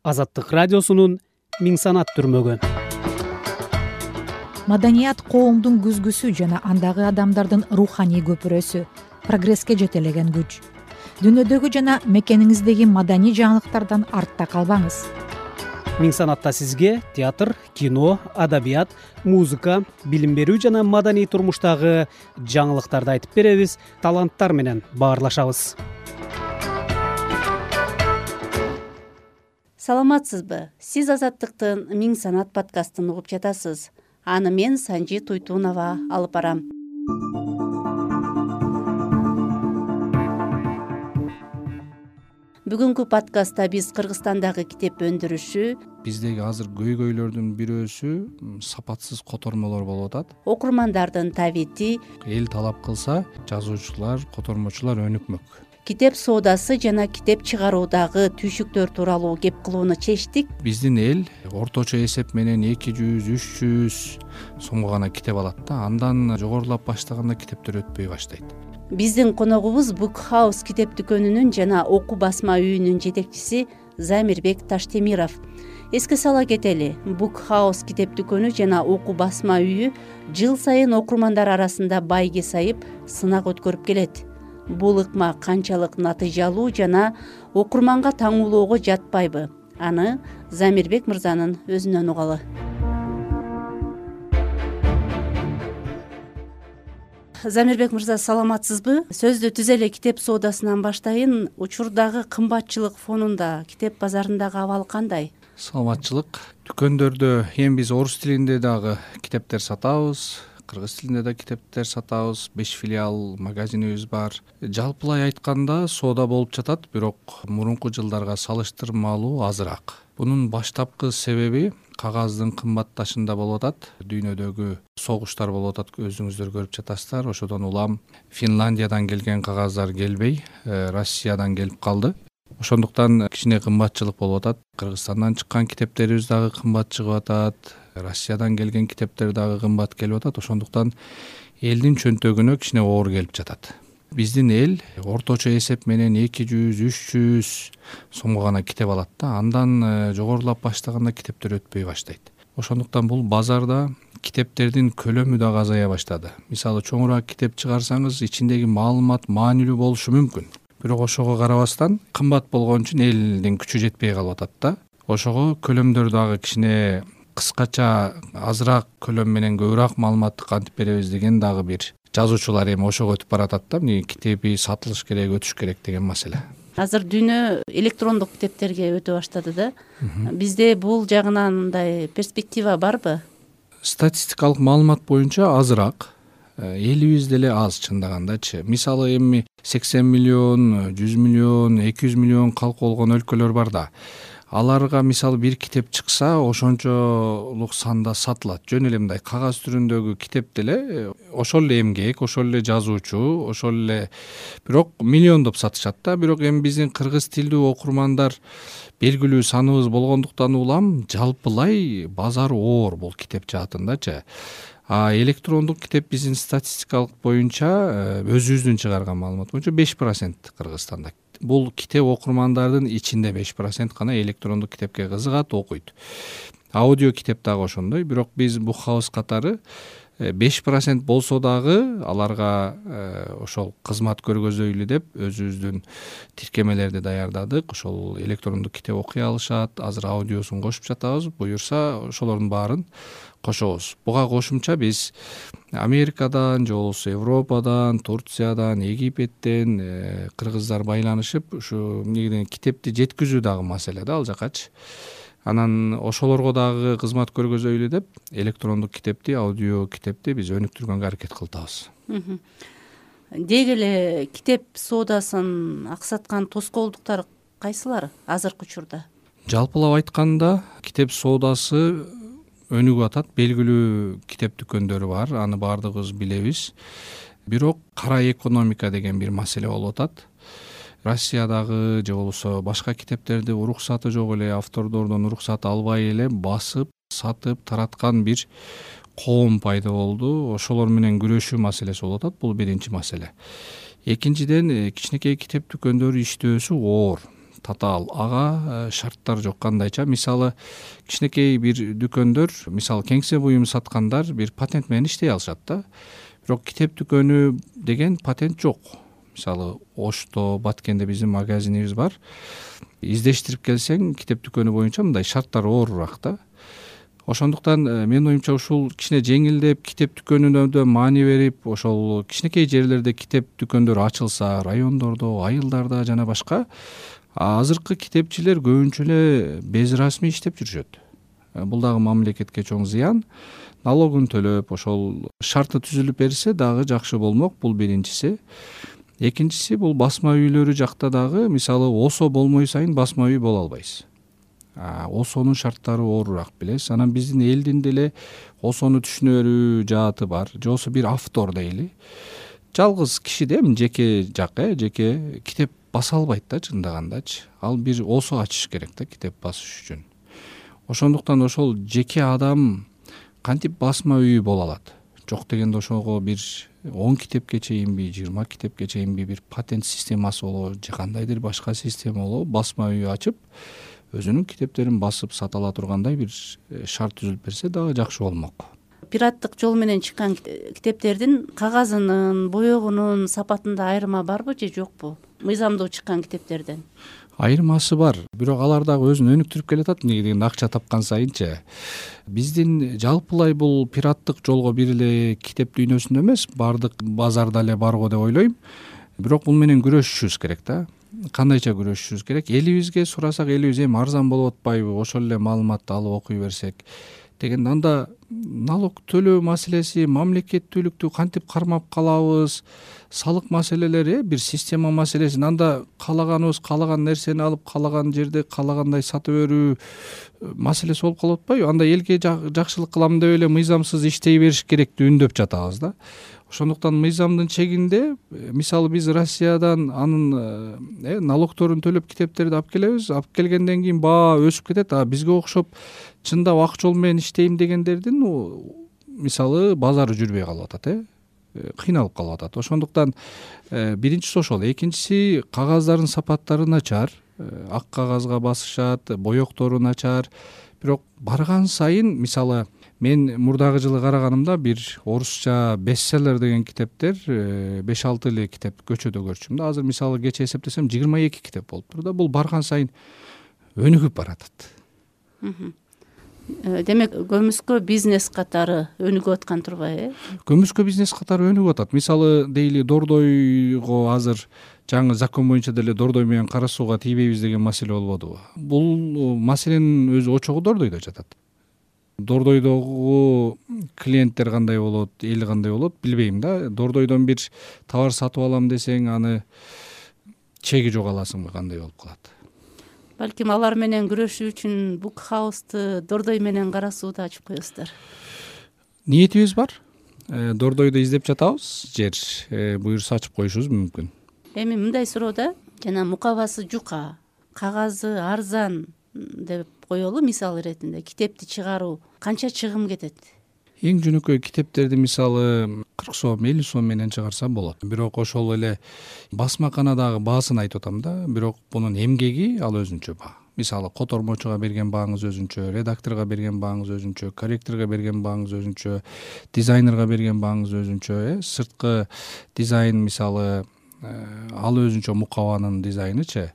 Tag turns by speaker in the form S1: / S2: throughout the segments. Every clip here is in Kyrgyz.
S1: Азаттык радиосунун Миң санат түрмөгү.
S2: Маданият коомдун күзгүсү жана андагы адамдардын руханий көпүрөсү, прогресске жетелеген күч. Дүйнөдөгү жана мекениңиздеги маданий жаңылыктардан артта калбаңыз.
S1: Миң санатта сизге театр, кино, адабият, музыка, билим берүү жана маданий турмуштагы жаңылыктарды айтып беребиз, таланттар менен баарлашабыз.
S3: Саламатсызбы? Сиз Азаттыктын Миң санат подкастын угуп жатасыз. Аны мен Санжи Туйтунова алып барам. Бүгүнкү подкастта биз Кыргызстандагы китеп өндүрүшү,
S4: биздеги азыр көйгөйлөрдүн бирөөсү сапатсыз котормолор болуп атат.
S3: окурмандардын табити,
S4: Эл талап кылса, жазуучулар, котормочулар өнүкмөк.
S3: китеп соодасы жана китеп чыгаруудагы түйшүктөр тууралуу кеп кылууну чечтик.
S4: Биздин эл орточо эсеп менен 200-300 сомго гана китеп алат да, андан жогорулап баштаганда китептер өтпөй баштайт.
S3: Биздин коногубуз Book House китеп дүкөнүнүн жана окуу басма үйүнүн жетекчиси Замирбек Таштемиров. Эске сала кетели, Book House китеп дүкөнү жана окуу басма үйү жыл сайын окурмандар арасында байге сайып, сынак өткөрүп келет. Бул ыкма канчалык натыйжалуу жана окурманга таңуулоого жатпайбы? Аны Замирбек мырзанын өзүнөн угалы. Замирбек мырза, саламатсызбы? Сөздү түз эле китеп соодасынан баштайын. Учурдагы кымбатчылык фонунда китеп базарындагы абал кандай?
S4: Саламатчылык. Дүкөндөрдө эми биз орус тилинде дагы китептер сатабыз, кыргыз тилинде да китептер сатабыз, 5 филиал магазинибиз бар. Жалпылай айтканда соода болуп жатат, бирок мурунку жылдарга салыштырмалуу азыраак. Бунун баштапкы себеби кагаздын кымбатташында болуп атат. Дүйнөдөгү согуштар болуп атат, өзүңүздөр көрүп жатасыздар. Ошодон улам Финляндиядан келген кагаздар келбей, Россиядан келип калды. Ошондуктан кичине кымбатчылык болуп атат. Кыргызстандан чыккан китептерибиз дагы кымбат чыгып атат. Россиядан келген китептер дагы кымбат келип атат. Ошондуктан элдин чөнтөгүнө кичине оор келип жатат. Биздин эл орточо эсеп менен 200-300 сомго гана китеп алат да, андан жогорулап баштаганда китептер өтпөй баштайт. Ошондуктан бул базарда китептердин көлөмү дагы азая баштады. Мисалы, чоңураак китеп чыгарсаңыз, ичиндеги маалымат маанилүү болушу мүмкүн. Бирок ошого карабастан кымбат болгон үчүн элдин күчү жетпей калып атат да. Ошого көлөмдөр дагы кичине кыскача, азыраак көлөм менен көбүрөөк маалыматты кантип беребиз деген дагы бир жазуучулар эми ошого өтүп баратат да. Китеби сатылыш керек, өтүш керек деген маселе.
S3: Азыр дүйнө электрондук китептерге өтө баштады да. Бизде бул жагынан мындай перспектива барбы?
S4: Статистикалык маалымат боюнча азыраак. Элибиз деле аз чындагандачы. Мисалы, эми 80 миллион, 100 миллион, 200 миллион калк болгон өлкөлөр бар да. Аларга мисалы бир китеп чыкса, ошончолук санда сатылат. Жөн эле мындай кагаз түрүндөгү китеп деле ошол эле эмгек, ошол эле жазуучу, ошол эле, бирок миллиондоп сатышат да. Бирок эми биздин кыргыз тилдүү окурмандар белгилүү саныбыз болгондуктан улам жалпылай базар оор бул китеп жаатындачы. Электрондук китеп биздин статистикалык боюнча, өзүбүздүн чыгарган маалымат боюнча 5% Кыргызстанда. Бул китеп окурмандардын ичинде 5% гана электрондук китепке кызыгат, окуйт. Аудио китеп дагы ошондой, бирок биз Book House катары 5% болсо дагы аларга ошол кызмат көргөзөйлү деп өзүбүздүн тиркемелерди даярдадык. Ошол электрондук китеп окуй алышат. Азыр аудиосун кошуп жатабыз. Буюрса ошолордун баарын кошобуз. Буга кошумча биз Америкадан, же болбосо Европадан, Турциядан, Египеттен кыргыздар байланышып, ушу негеден китепти жеткизүү дагы маселе да ал жакачы. Анан ошолорго дагы кызмат көргөзөйлү деп электрондук китепти, аудио китепти биз өнүктүргөнгө аракет кылтабыз.
S3: Деги эле китеп соодасын аксаткан тоскоолдуктар кайсылар азыркы учурда?
S4: Жалпылап айтканда, китеп соодасы өнүгүп атат. Белгилүү китеп дүкөндөрү бар, аны баардыгыбыз билебиз. Бирок кара экономика деген бир маселе болуп атат. Россиядагы же болбосо башка китептерди уруксаты жок эле, автордордон уруксат албай эле басып, сатып, тараткан бир коом пайда болду. Ошолор менен күрөшүү маселеси болуп атат. Бул биринчи маселе. Экинчиден, кичинекей китеп дүкөндөрү иштөөсү оор. татаал ага шарттар жок. Кандайча мисалы кичинекей бир дүкөндөр, мисалы кеңсе буюм саткандар бир патент менен иштей алышат да. Бирок китеп дүкөнү деген патент жок. Мисалы Ошто, Баткенде биздин магазинибиз бар. Издештирип келсең китеп дүкөнү боюнча мындай шарттар оорураак да. Ошондуктан менин оюмча ушул кичине жеңилдеп китеп дүкөнүнө да маани берип, ошол кичинекей жерлерде китеп дүкөндөр ачылса, райондордо, айылдарда жана башка, азыркы китепчилер көбүнчө эле безрасмий иштеп жүрүшөт. Бул дагы мамлекетке чоң зыян. Налогун төлөп, ошол шарты түзүлүп берсе дагы жакшы болмок. Бул биринчиси. Экинчиси бул басма үйлөрү жакта дагы мисалы ОСО болмой сайын басма үй боло албайсыз. ОСОнун шарттары оорураак билесиз. Анан биздин элдин деле ОСОну түшүнө берүү жааты бар. Жосу бир автор дейли. Жалгыз киши да жеке жак, жеке китеп баса албайт да чындагандачы. Ал бир ОСО ачыш керек да китеп басыш үчүн. Ошондуктан ошол жеке адам кантип басма үй боло алат? Жок дегенде ошого бир 10 китепке чейинби, 20 китепке чейинби бир патент системасы болобу, же кандайдыр башка система болобу, басма үй ачып, өзүнүн китептерин басып сата ала тургандай бир шарт түзүлүп берсе дагы жакшы болмок.
S3: Пираттык жол менен чыккан китептердин кагазынын, боёгунун сапатында айырма барбы же жокпу? Мыйзамдуу чыккан китептерден.
S4: Айырмасы бар, бирок алар дагы өзүн өнүктүрүп келатат. Эмнеге дегенде акча тапкан сайынчы. Биздин жалпылай бул пираттык жолго бир эле китеп дүйнөсүндө эмес, бардык базарда эле бар го деп ойлойм. Бирок бул менен күрөшүшүбүз керек да. Кандайча күрөшүшүбүз керек? Элибизге сурасак, элибиз эми арзан болуп атпайбы? Ошол эле маалыматты алып окуй берсек деген, анда налог төлөө маселеси, мамлекеттүүлүктү кантип кармап калабыз, салык маселелери, бир система маселеси. Анда каалаганыбыз каалаган нерсени алып, каалаган жерде каалагандай сатып берүү маселеси болуп калып атпайбы? Анда элге жакшылык кылам деп эле мыйзамсыз иштей бериш керекти үндөп жатабыз да. Ошондуктан мыйзамдын чегинде, мисалы биз Россиядан анын налогторун төлөп китептерди алып келебиз. Алып келгенден кийин баа өсүп кетет. Бизге окшоп чындап ак жол менен иштейм дегендердин мисалы базары жүрбөй калып атат, кыйналып калып атат. Ошондуктан биринчиси ошол. Экинчиси кагаздардын сапаттары начар. Ак кагазга басышат, боёктору начар. Бирок барган сайын, мисалы мен мурдагы жылы караганымда бир орусча бестселлер деген китептер 5-6 эле китеп көчөдө көрчүм да. Азыр мисалы кече эсептесем 22 китеп болуптур да. Бул барган сайын өнүгүп баратат.
S3: Демек көмүскө бизнес катары өнүгүп аткан турбайбы?
S4: Көмүскө бизнес катары өнүгүп атат. Мисалы дейли Дордойго азыр жаңы закон боюнча деле Дордой менен кара сууга тийбейбиз деген маселе болбодубу? Бул маселенин өзү очогу Дордойдо жатат. Дордойдогу клиенттер кандай болот, эл кандай болот билбейм да. Дордойдон бир товар сатып алам десең, аны чеги жок аласыңбы, кандай болуп калат?
S3: Балким алар менен күрөшүү үчүн Book House'ты Дордой менен кара сууда ачып коесуздар.
S4: Ниетибиз бар. Дордойду издеп жатабыз. Жер буюрса ачып коюшубуз мүмкүн.
S3: Эми мындай суроо да, жана мукабасы жука, кагазы арзан деп коелу мисал иретинде китепти чыгаруу канча чыгым кетет?
S4: Эң жөнөкөй китептерди мисалы 40 сом, 50 сом менен чыгарса болот. Бирок ошол эле басмаканадагы баасын айтып атам да. Бирок бунун эмгеги ал өзүнчө баа. Мисалы котормочуга берген бааңыз өзүнчө, редакторго берген бааңыз өзүнчө, корректорго берген бааңыз өзүнчө, дизайнерге берген бааңыз өзүнчө, сырткы дизайн мисалы ал өзүнчө мукабанын дизайнычы.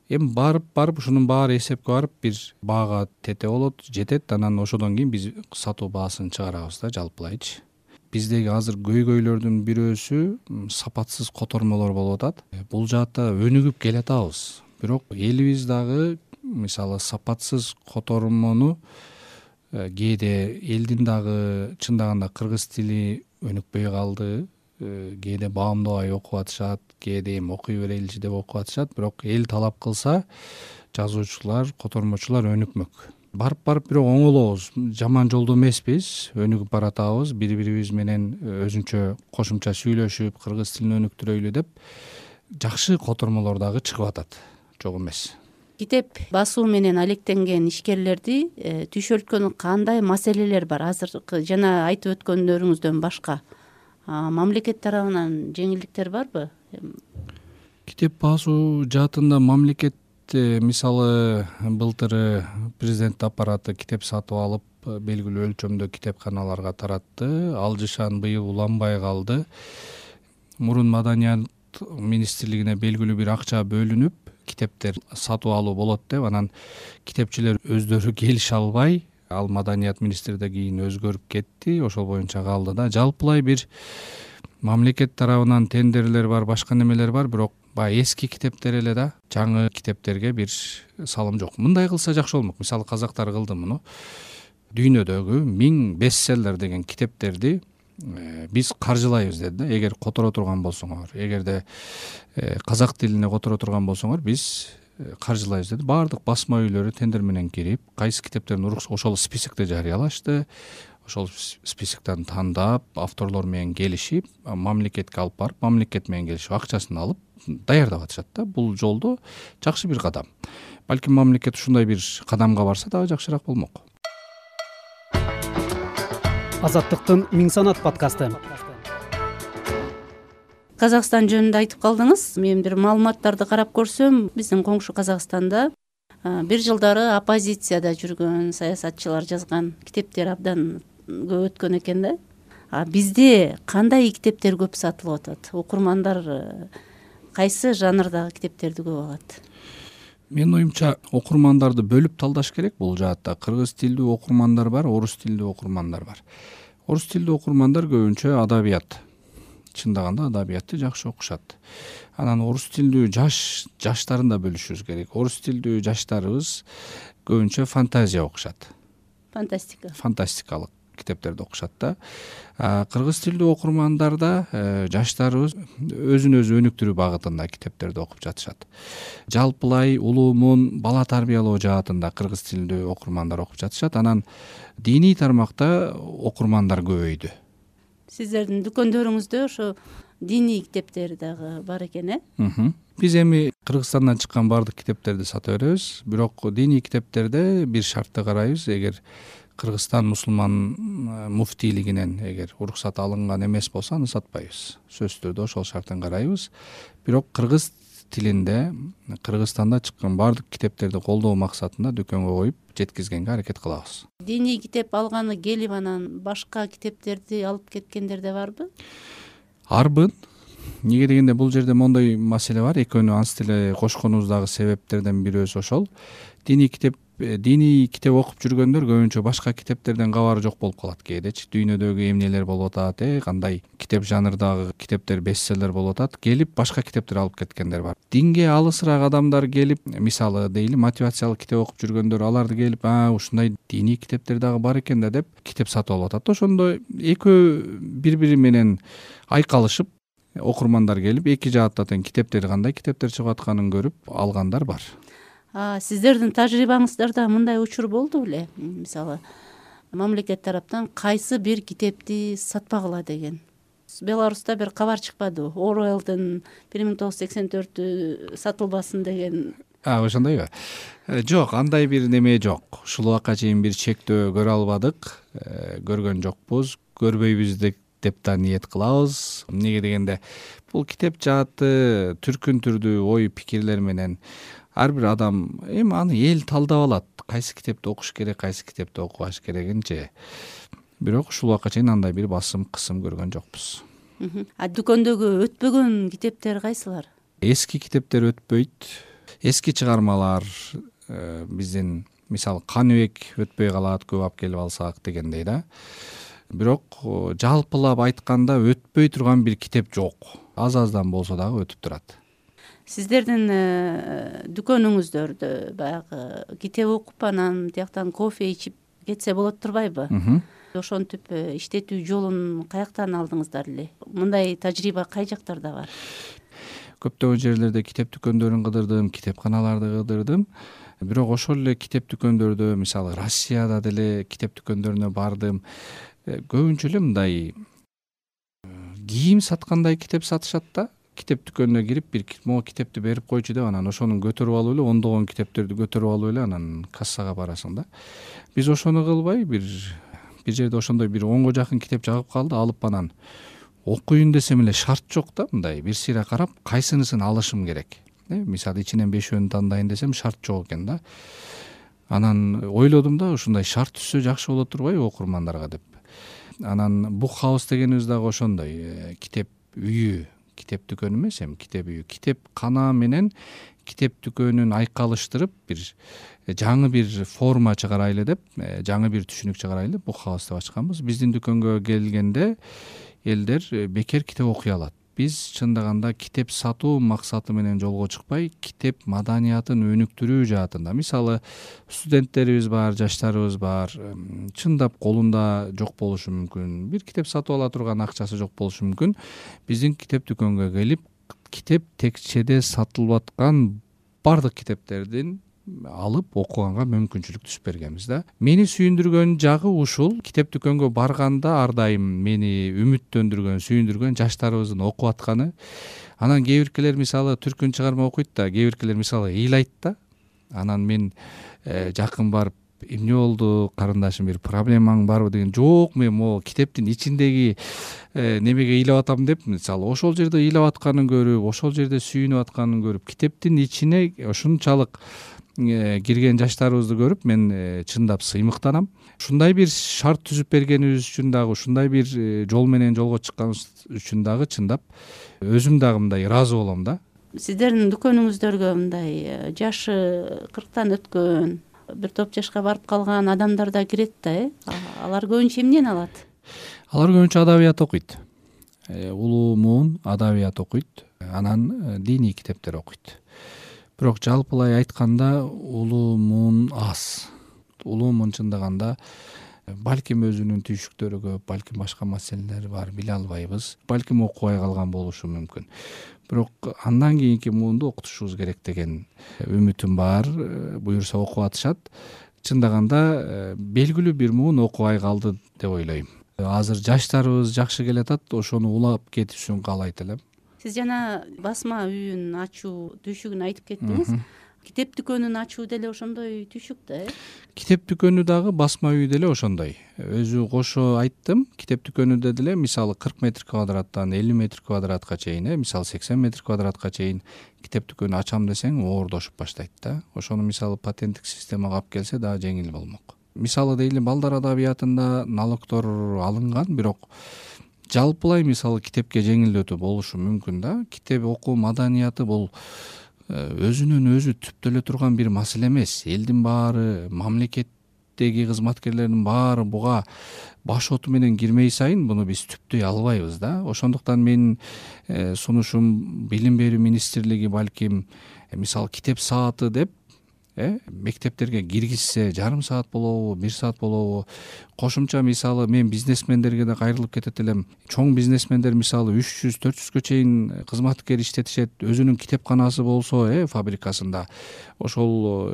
S4: Эми барып ушунун баары эсепке барып бир баага тете болот, жетет. Анан ошодон кийин биз сатуу баасын чыгарабыз да, жалпылайчы. Биздеги азыр көйгөйлөрдүн бирөөсү сапатсыз котормолор болуп атат. Бул жаатта өнүгүп келатабыз. Бирок элибиз дагы мисалы сапатсыз котормону кээде элдин дагы чындаганда кыргыз тили өнүкпөй калды. Кээде баамдабай окуп атышат, кээде эми окуй береличи деп окуп атышат. Бирок эл талап кылса, жазуучулар, котормочулар өнүкмөк. Барып бирок оңолобуз. Жаман жолдо эмеспиз, өнүгүп баратабыз. Бири-бирибиз менен өзүнчө кошумча сүйлөшүп, кыргыз тилин өнүктүрөйлү деп жакшы котормолор дагы чыгып атат. Жок эмес.
S3: Китеп басуу менен алектенген ишкерлерди түйшөлткөн кандай маселелер бар? Азыркы жана айтып өткөндөрүңүздөн башка мамлекет тарабынан жеңилдиктер барбы?
S4: Китеп басуу жаатында мамлекет мисалы былтыр президент аппараты китеп сатып алып белгилүү өлчөмдө китепканаларга таратты. Алжышан быйыл уланбай калды. Мурун Маданият министрлигине белгилүү бир акча бөлүнүп китептер сатып алуу болот деп, анан китепчилер өздөрү келише албай, ал Маданият министрде кийин өзгөрүп кетти, ошол боюнча калды да. Жалпылай бир мамлекет тарабынан тендерлер бар, башка немелер бар, бирок баягы эски китептер эле да, жаңы китептерге бир салым жок. Мындай кылса жакшы болмок. Мисалы казактар кылды муну. Дүйнөдөгү 1000 бестселлер деген китептерди биз каржылайбыз деди да. Эгер которо турган болсоңор, эгерде казак тилине которо турган болсоңор, биз каржылайбыз деди. Баардык басма үйлөрү тендер менен кирип, кайсы китептердин ошол списокти жарыялашты. Ошол списоктон тандап, авторлор менен келишип, мамлекетке алып барып, мамлекет менен келишип, акчасын алып даярдап атышат да. Бул жолдо жакшы бир кадам. Балким мамлекет ушундай бир кадамга барса дагы жакшыраак болмок.
S1: Азаттыктын Миң санат подкасты.
S3: Казакстан жөнүндө айтып калдыңыз. Мен бир маалыматтарды карап көрсөм, биздин коңшу Казакстанда бир жылдары оппозицияда жүргөн саясатчылар жазган китептер абдан көп өткөн экен да. Бизде кандай китептер көп сатылып атат? Окурмандар кайсы жанрдагы китептерди көп алат?
S4: Менин оюмча, окурмандарды бөлүп талдаш керек бул жаатта. Кыргыз тилдүү окурмандар бар, орус тилдүү окурмандар бар. Орус тилдүү окурмандар көбүнчө адабият, чындаганда адабиятты жакшы окушат. Анан орус тилдүү жаштарын да бөлүшүбүз керек. Орус тилдүү жаштарыбыз көбүнчө фантазия окушат. Фантастикалык китептерди окушат да. Кыргыз тилдүү окурмандарда жаштарыбыз өзүн өзү өнүктүрүү багытында китептерди окуп жатышат. Жалпылай улуумун бала тарбиялоо жаатында кыргыз тилдүү окурмандар окуп жатышат. Анан диний тармакта окурмандар көбөйдү.
S3: Сиздердин дүкөндөрүңүздө ошо диний китептер дагы бар экен, э?
S4: Биз эми Кыргызстандан чыккан баардык китептерди сата беребиз, бирок диний китептерде бир шартты карайбыз. Эгер Кыргызстан мусулман муфтийлигинен эгер уруксат алынган эмес болсо, аны сатпайбыз. Сөзсүз түрдө ошол шарттан карайбыз. Бирок кыргыз тилинде Кыргызстанда чыккан баардык китептерди колдоо максатында дүкөнгө коюп жеткизгенге аракет кылабыз.
S3: Диний китеп алганы келип анан башка китептерди алып кеткендер да барбы?
S4: Арбын. Неге дегенде бул жерде мондой маселе бар. Экөөнү анс деле кошконубуздагы себептерден бирөөсү ошол. Диний китеп окуп жүргөндөр көбүнчө башка китептерден кабары жок болуп калат кээдечи. Дүйнөдөгү эмнелер болуп атат, кандай китеп жанрдагы китептер бестселлер болуп атат, келип башка китептер алып кеткендер бар. Динге алысыраак адамдар келип, мисалы дейли, мотивациялык китеп окуп жүргөндөр, аларды келип, ушундай диний китептер дагы бар экен да деп китеп сатып алып атат. Ошондо экөө бири-бири менен айкалышып, окурмандар келип, эки жаатта тең китептер кандай китептер чыгып атканын көрүп алгандар бар.
S3: Сиздердин тажрыйбаңыздарда мындай учур болду беле? Мисалы, мамлекет тараптан кайсы бир китепти сатпагыла деген. Беларуста бир кабар чыкпадыбы? Оруэллдин 1984 сатылбасын деген.
S4: Ошондойбу? Жок, андай бир неме жок. Ушул убакка чейин бир чектөө көрө албадык, көргөн жокпуз, көрбөйбүз деп да ниет кылабыз. Неге дегенде, бул китеп жааты түркүн түрдүү ой пикирлер менен ар бир адам эми аны эл талдап алат. Кайсы китепти окуш керек, кайсы китепти окубаш керегинчи. Бирок ушул убакка чейин андай бир басым, кысым көргөн жокпуз.
S3: Дүкөндөгү өтпөгөн китептер кайсылар?
S4: Эски китептер өтпөйт. Эски чыгармалар биздин мисалы Каныбек өтпөй калат, көп алып келип алсак дегендей да. Бирок жалпылап айтканда өтпөй турган бир китеп жок. Аз-аздан болсо дагы өтүп турат.
S3: Сиздердин дүкөнүңүздөрдө баягы китеп окуп анан тияктан кофе ичип кетсе болот турбайбы? Ошентип иштетүү жолун каяктан алдыңыздар эле? Мындай тажрыйба кай жактарда бар?
S4: Көптөгөн жерлерде китеп дүкөндөрүн кыдырдым, китепканаларды кыдырдым. Бирок ошол эле китеп дүкөндөрдө, мисалы Россияда деле китеп дүкөндөрүнө бардым. Көбүнчө эле мындай кийим саткандай китеп сатышат да. Китеп дүкөнүнө кирип, бир могу китепти берип койчу деп, анан ошону көтөрүп алып эле, ондогон китептерди көтөрүп алып эле, анан кассага барасың да. Биз ошону кылбай, бир жерде ошондой бир 10го жакын китеп жагып калды, алып окуйун десем эле шарт жок да, мындай бир сыйра карап, кайсынысын алышым керек. Мисалы ичинен 5 тандайын десем шарт жок экен да. Анан ойлодум да, ушундай шарт түзсө жакшы болот турбайбы окурмандарга деп. Анан Book House дегенибиз дагы ошондой китеп үйү, китеп дүкөнү эмес, эми китеп үйү, китеп кана менен китеп дүкөнүн айкалыштырып бир жаңы бир форма чыгарайлы деп, жаңы бир түшүнүк чыгарайлы Book House деп ачканбыз. Биздин дүкөнгө келгенде элдер бекер китеп окуй алат. Биз чындаганда китеп сатуу максаты менен жолго чыкпай, китеп маданиятын өнүктүрүү жаатында. Мисалы, студенттерибиз бар, жаштарыбыз бар, чындап колунда жок болушу мүмкүн, бир китеп сатып ала турган акчасы жок болушу мүмкүн. Биздин китеп дүкөнгө келип, китеп текчеде сатылып аткан бардык китептердин алып окуганга мүмкүнчүлүк түзүп бергенбиз да. Мени сүйүндүргөн жагы ушул. Китеп дүкөнгө барганда ар дайым мени үмүттөндүргөн, сүйүндүргөн жаштарыбыздын окуп атканы. Анан кээ биркилер мисалы түркүн чыгарма окуйт да, кээ биркилер мисалы ыйлайт да. Анан мен жакын барып, эмне болду, карындашым, бир проблемаң барбы деген, жок, мен могу китептин ичиндеги немеге ыйлап атам деп, мисалы ошол жерде ыйлап атканын көрүп, ошол жерде сүйүнүп атканын көрүп, китептин ичине ушунчалык кирген жаштарыбызды көрүп мен чындап сыймыктанам. Ушундай бир шарт түзүп бергенибиз үчүн дагы, ушундай бир жол менен жолго чыкканыбыз үчүн дагы чындап өзүм дагы мындай ыраазы болом да.
S3: Сиздердин дүкөнүңүздөргө мындай жашы 40тан өткөн, бир топ жашка барып калган адамдар да кирет да, алар көбүнчө эмнени алат?
S4: Алар көбүнчө адабият окуйт. Улуу муун адабият окуйт, анан диний китептер окуйт. Бирок жалпылай айтканда улуу муун аз. Улуу муун чындаганда балким өзүнүн түйшүктөрү көп, балким башка маселелери бар, биле албайбыз. Балким окубай калган болушу мүмкүн. Бирок андан кийинки муунду окутушубуз керек деген үмүтүм бар. Буюрса окуп атышат. Чындаганда белгилүү бир муун окубай калды деп ойлойм. Азыр жаштарыбыз жакшы келатат, ошону улап кетишин каалайт элем.
S3: Сиз жана басма үйүн ачуу түйшүгүн айтып кеттиңиз. Китеп дүкөнүн ачуу деле ошондой түйшүк да,
S4: Китеп дүкөнү дагы басма үй деле ошондой. Өзү кошо айттым, китеп дүкөнүндө деле мисалы 40 метр квадраттан 50 метр квадратка чейин, мисалы 80 метр квадратка чейин китеп дүкөнү ачам десең оордошуп баштайт да. Ошону мисалы патенттик системага алып келсе дагы жеңил болмок. Мисалы дейли, балдар адабиятында налогдор алынган, бирок жалпылай мисалы китепке жеңилдетүү болушу мүмкүн да. Китеп окуу маданияты бул өзүнөн өзү түптөлө турган бир маселе эмес. Элдин баары, мамлекеттеги кызматкерлердин баары буга баш оту менен кирмей сайын буну биз түптөй албайбыз да. Ошондуктан менин сунушум Билим берүү министрлиги балким мисалы китеп сааты деп мектептерге киргизсе, жарым саат болобу, 1 саат болобу, кошумча мисалы мен бизнесмендерге да кайрылып кетет элем. Чоң бизнесмендер мисалы 300-400гө чейин кызматкер иштетишет, өзүнүн китепканасы болсо, фабрикасында ошол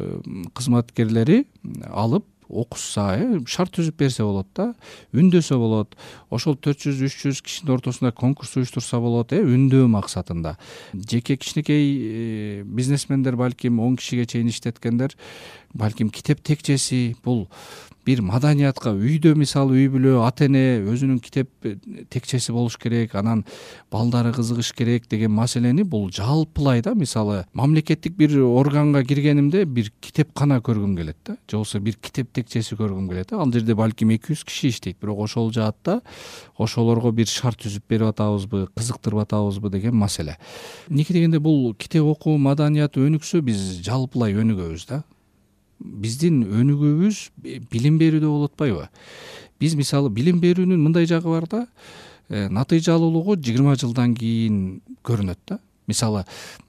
S4: кызматкерлери алып окушса, шарт түзүп берсе болот да, үндөсө болот. Ошол 400-300 кишинин ортосунда конкурс уюштурса болот, үндөө максатында. Жеке кичинекей бизнесмендер балким 10 кишиге чейин иштеткендер, балким китеп текчеси бул бир маданиятка, үйдө мисалы үй бүлө, ата эне өзүнүн китеп текчеси болуш керек, анан балдары кызыгыш керек деген маселени бул жалпылай да, мисалы мамлекеттик бир органга киргенимде бир китепкана көргүм келет да, же болбосо бир китеп текчеси көргүм келет да. Ал жерде балким 200 киши иштейт, бирок ошол жаатта ошолорго бир шарт түзүп берип атабызбы, кызыктырып атабызбы деген маселе. Эмнеге дегенде бул китеп окуу маданияты өнүксө биз жалпылай өнүгөбүз да. Биздин өнүгүүбүз билим берүүдө болуп атпайбы? Биз мисалы билим берүүнүн мындай жагы бар да, натыйжалуулугу 20 жылдан кийин көрүнөт да. Мисалы,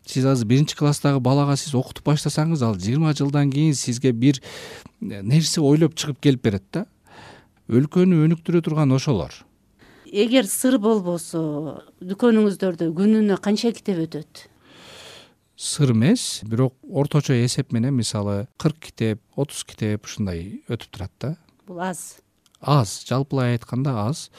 S4: сиз азыр 1-класстагы балага сиз окутуп баштасаңыз, ал 20 жылдан кийин сизге бир нерсе ойлоп чыгып келип берет да. Өлкөнү өнүктүрө турган ошолор.
S3: Эгер сыр болбосо, дүкөнүңүздөрдө күнүнө канча китеп өтөт?
S4: Сыр эмес, бирок орточо эсеп менен мисалы 40 китеп, 30 китеп ушундай өтүп турат да.
S3: Бул аз.
S4: Аз, жалпылай айтканда аз.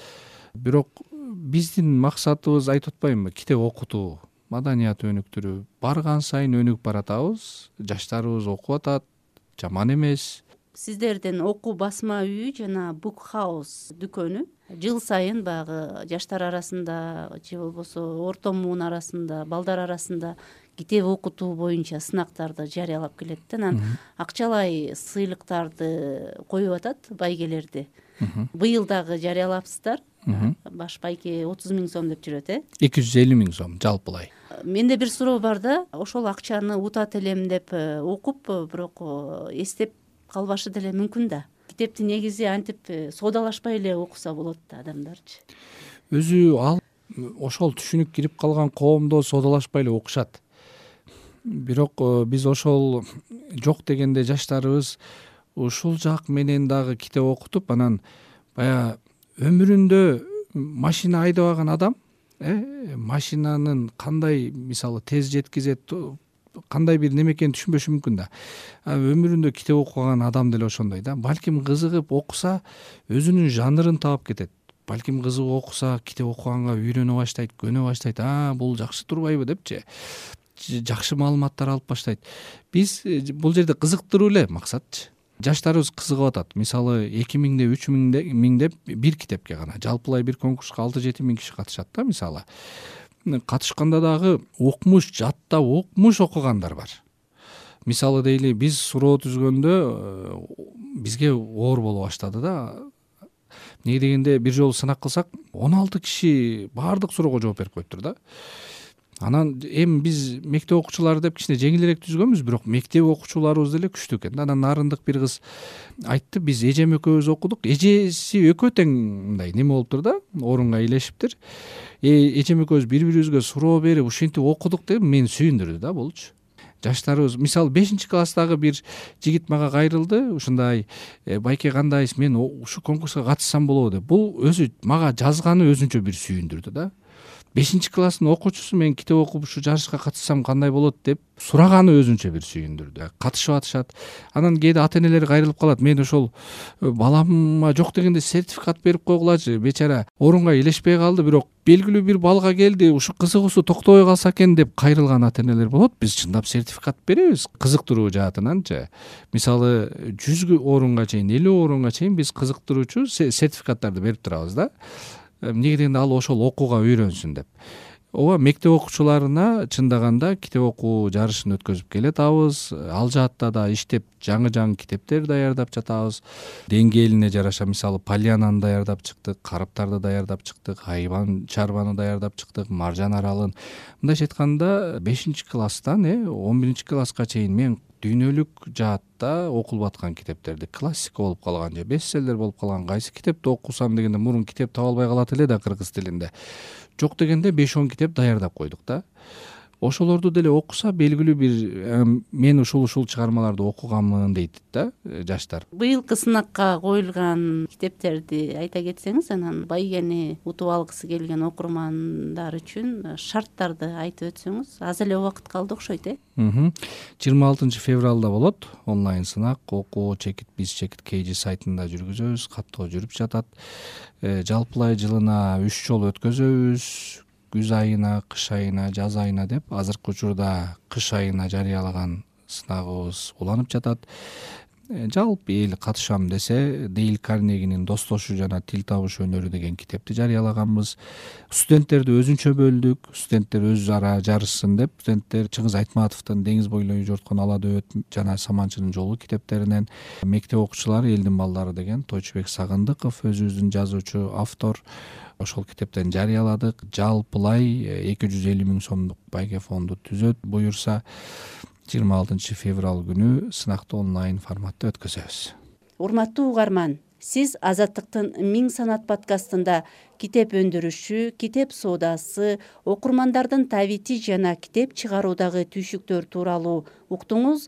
S4: Бирок биздин максатыбыз, айтып атпаймынбы, китеп окутуу, маданият өнүктүрүү. Барган сайын өнүгүп баратабыз, жаштарыбыз окуп атат, жаман эмес.
S3: Сиздердин окуу басма үйү жана Book House дүкөнү жыл сайын багы жаштар арасында же болбосо орто муун арасында, балдар арасында китеп окутуу боюнча сынактарды жарыялап келет да, анан акчалай сыйлыктарды коюп атат байгелерди. Быйыл дагы жарыялапсыздар. Баш байке 30 000 сом деп жүрөт,
S4: 250 000 сом жалпылай.
S3: Менде бир суроо бар да, ошол акчаны утат элем деп окуп, бирок эстеп калбашы деле мүмкүн да. Китепти негизи антип соодалашпай эле окуса болот да адамдарчы.
S4: Өзү ал ошол түшүнүк кирип калган коомдо соодалашпай эле окушат. Бирок биз ошол жок дегенде жаштарыбыз ушул жак менен дагы китеп окутуп, анан баягы өмүрүндө машина айдабаган адам машинанын кандай мисалы тез жеткизет, кандай бир неме экенин түшүнбөшү мүмкүн да. Өмүрүндө китеп окуган адам деле ошондой да. Балким кызыгып окуса өзүнүн жанрын таап кетет. Балким кызыгып окуса китеп окуганга үйрөнө баштайт, көнө баштайт. Бул жакшы турбайбы депчи. Жакшы маалыматтар алып баштайт. Биз бул жерде кызыктыруу эле максатчы. Жаштарыбыз кызыгып атат. Мисалы 2000 3000 деп бир китепке гана. Жалпылай бир конкурска 6-7 000 киши катышат да мисалы. Катышканда дагы окмуш, жаттап окмуш окугандар бар. Мисалы дейли биз суроо түзгөндө бизге оор боло баштады да. Неге дегенде бир жолу сынак кылсак 16 киши баардык суроого жооп берип коюптур да. Анан эми биз мектеп окуучулары деп кичине жеңилирээк түзгөнбүз, бирок мектеп окуучуларыбыз деле күчтүү экен да. Анан нарындык бир кыз айтты, биз эжем экөөбүз окудук. Эжеси экөө тең мындай неме болуптур да, орунга ээлешиптир. Эжем экөөбүз бири-бирибизге суроо берип ушинтип окудук деп мени сүйүндүрдү да болчу. Жаштарыбыз мисалы 5-класстагы бир жигит мага кайрылды, ушундай байке кандайсыз, мен ушу конкурска катышсам болобу деп. Бул өзү мага жазганы өзүнчө бир сүйүндүрдү да. 5-класстын окуучусу мен китеп окуп ушу жарышка катышсам кандай болот деп сураганы өзүнчө бир сүйүндүрдү. Катышып атышат. Анан кээде ата-энелер кайрылып калат. Мен ошол балама жок дегенде сертификат берип койгулачы. Бечара орунга ээлешпей калды, бирок белгилүү бир балга келди, ушу кызыгуусу токтобой калса экен деп кайрылган ата-энелер болот. Биз чындап сертификат беребиз кызыктыруу жаатынанчы. Мисалы 100 орунга чейин, 50 орунга чейин биз кызыктыруучу сертификаттарды берип турабыз да. Эмнеге дегенде ал ошол окууга үйрөнсүн деп. Ооба, мектеп окуучуларына чындаганда китеп окуу жарышын өткөзүп келатабыз. Ал жаатта да иштеп жаңы китептер даярдап жатабыз. Деңгээлине жараша мисалы Полянаны даярдап чыктык, Карыптарды даярдап чыктык, Айбан Чарбаны даярдап чыктык, Маржан Аралын. Мындайча айтканда 5-класстан 11-класска чейин мен дүйнөлүк жаатта окулуп аткан китептерди, классика болуп калган же бестселлер болуп калган кайсы китепти окусам дегенде мурун китеп таба албай калат эле да кыргыз тилинде. Жок дегенде 5-10 китеп даярдап койдук да. Ошолорду деле окуса белгилүү бир мен ушул чыгармаларды окуганмын дейт да жаштар.
S3: Быйылкы сынакка коюлган китептерди айта кетсеңиз, анан байгени утуп алгысы келген окурмандар үчүн шарттарды айтып өтсөңүз. Аз эле убакыт калды окшойт,
S4: 26 февралда болот онлайн сынак. Окуу биз чекит KG сайтында жүргүзөбүз, каттоо жүрүп жатат. Жалпылай жылына 3 жолу өткөзөбүз. Күз айына, кыш айына, жаз айына деп. Азыркы учурда кыш айына жарыялаган сынагыбыз уланып жатат. Жалпы эл катышам десе, Дейл Карнегинин Достошу жана Тил табыш өнөрү деген китепти жарыялаганбыз. Студенттерди өзүнчө бөлдүк. Студенттер өз ара жарышсын деп. Студенттер Чыңгыз Айтматовдун Деңиз бойлой жорткон ала дөбөт жана Саманчынын жолу китептеринен, мектеп окуучулары Элдин балдары деген Тойчубек Сагындыков өзүбүздүн жазуучу, автор, ошол китептен жарыяладык. Жалпылай 250 000 сомдук байге фонду түзөт буюрса 26 февраль күнү сынакты онлайн форматта өткөзөбүз.
S3: Урматтуу угарман, сиз Азаттыктын Миң санат подкастында китеп өндүрүшү, китеп соодасы, окурмандардын табити жана китеп чыгаруудагы түйшүктөр тууралуу уктуңуз.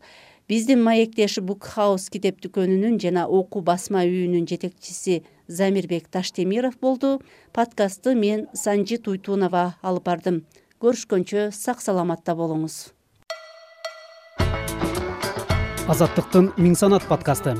S3: Биздин маектеш Book House китеп дүкөнүнүн жана окуу басма үйүнүн жетекчиси Замирбек Таштемиров болду. Подкастты мен Санжи Туйтунова алып бардым. Көрүшкөнчө сак саламатта болуңуз.
S1: Азаттыктын Миң санат подкасты.